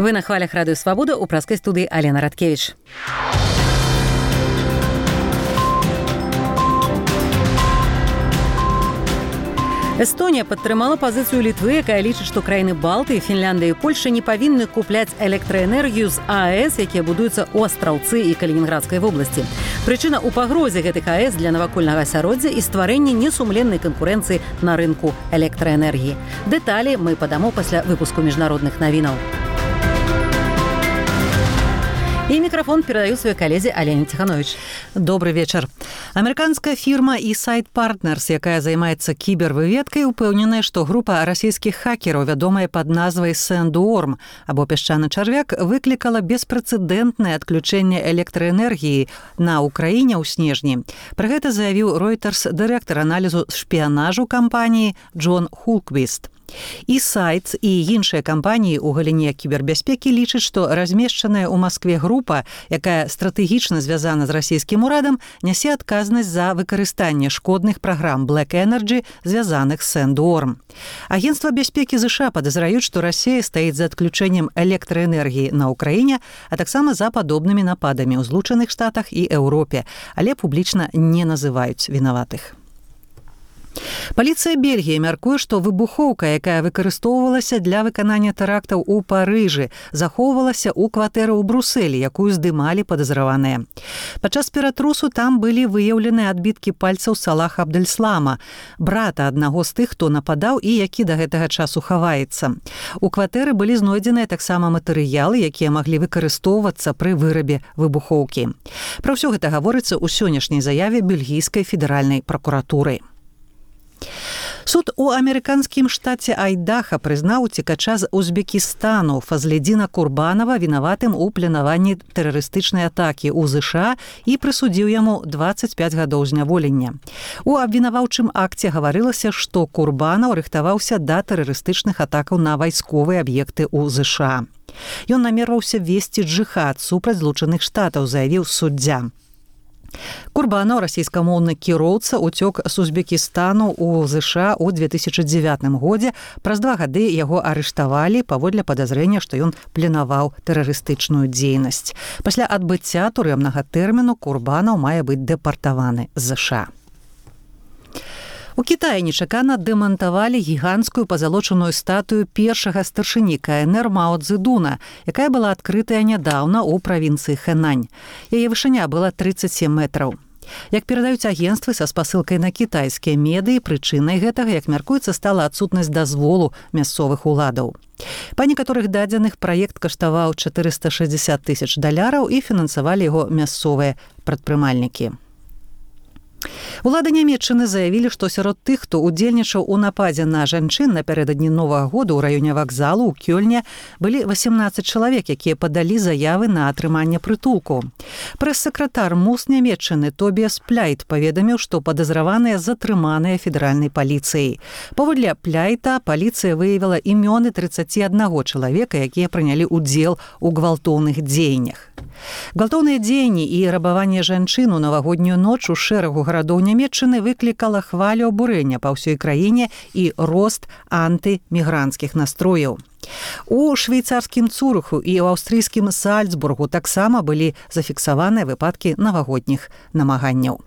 Вы на хвалях Радыё Свабода, у праскай студыі Алена Радкевіч. Эстонія падтрымала пазіцыю Літвы, якая лічыць, што краіны Балтыі, Фінляндыя і Польша не павінны купляць электраэнергію з АЭС, якія будуюцца ў Астраўцы і Калінінградскай вобласці. Прычына ў пагрозе гэтых АЭС для навакольнага асяроддзя і стварэння несумленнай канкурэнцыі на рынку электраэнергіі. Дэталі мы падамо пасля выпуску міжнародных навінаў. И микрофон передаю своей коллеге Алене Тиханович. Добрый вечер. Американская фирма eSite Partners, якая займаецца кібервыведкай, упэўненая, што група расійскіх хакераў, вядомая пад назвай Sandworm, або пясчаны чарвяк, выклікала беспрэцэдэнтнае адключэнне электраэнергіі на Украіне ў снежні. Пра гэта заявіў Reuters дырэктар аналізу шпіянажу кампаніі Джон Хулквіст. eSite і іншыя кампаніі ў галіне кібербяспекі лічаць, што размешчаная ў Маскве група, якая стратэгічна звязана з расійскім урадам, нясе адказнасць за выкарыстанне шкодных праграм Black Energy, звязаных з Sandworm. Агенцтва бяспекі ЗША падазраюць, што Расія стаіць за адключэннем электраэнергіі на Ўкраіне, а таксама за падобнымі нападамі ў Злучаных Штатах і Еўропе, але публічна не называюць вінаватых. Паліцыя Бельгіі мяркуе, што выбухоўка, якая выкарыстоўвалася для выканання тэрактаў у Парыжы, захоўвалася ў кватэры ў Брусэлі, якую здымалі падазраваныя. Падчас ператрусу там былі выяўлены адбіткі пальцаў Салаха Абдельслама, брата аднаго з тых, хто нападаў і які да гэтага часу хаваецца. У кватэры былі знойдзеныя таксама матэрыялы, якія маглі выкарыстоўвацца пры вырабе выбухоўкі. Пра ўсё гэта гаворыцца ў сённяшняй заяве бельгійскай федэральнай пракуратуры. Суд у амерыканскім штаце Айдаха прызнаў уцекача з Узбекістану Фазледзіна Курбанова вінаватым у планаванні тэрарыстычнай атакі ў ЗША і прысудзіў яму 25 гадоў зняволення. У абвінаваўчым акце гаварылася, што Курбанаў рыхтаваўся да тэрарыстычных атакаў на вайсковыя аб'екты ў ЗША. Ён намерваўся весці джыхад супраць Злучаных Штатаў, заявіў суддзя. Курбанаў, расійскамоўны кіроўца, уцёк з Узбекістану ў ЗША ў 2009 годзе. Праз 2 гады яго арыштавалі паводле падазрэння, што ён планаваў тэрарыстычную дзейнасць. Пасля адбыцця турэмнага тэрміну Курбанаў мае быць дэпартаваны з ЗША. У Кітаі нечакана дэмантавалі гіганцкую пазалочаную статую першага старшыні КНР Мао Цзэдуна, якая была адкрытая нядаўна ў правінцыі Хэнань. Яе вышыня была 37 метраў. Як перадаюць агенцтвы са спасылкай на кітайскія медыі, прычынай гэтага, як мяркуецца, стала адсутнасць дазволу мясцовых уладаў. Па некаторых дадзеных праект каштаваў $460 000 і фінансавалі яго мясцовыя прадпрымальнікі. Улады Нямецчыны заявілі, што сярод тых, хто удзельнічаў у нападзе на жанчын напярэдадні Новага года ў раёне вакзалу ў Кёльне, былі 18 чалавек, якія падалі заявы на атрыманне прытулку. Прэс-сакратар МУС Нямецчыны Тобіас Пляйт паведаміў, што падазраваныя затрыманыя федэральнай паліцыяй. Паводле Пляйта паліцыя выявіла імёны 31 чалавека, якія прынялі ўдзел у гвалтоўных дзеяннях. Гвалтоўныя дзеянні і рабаванне жанчын у навагоднюю ноч у шэрагу гарадоў Нямецчыны выклікала хвалю абурэння па ўсёй краіне і рост антымігранцкіх настрояў. У швейцарскім Цурыху і ў аўстрыйскім Сальцбургу таксама былі зафіксаваныя выпадкі навагодніх намаганняў.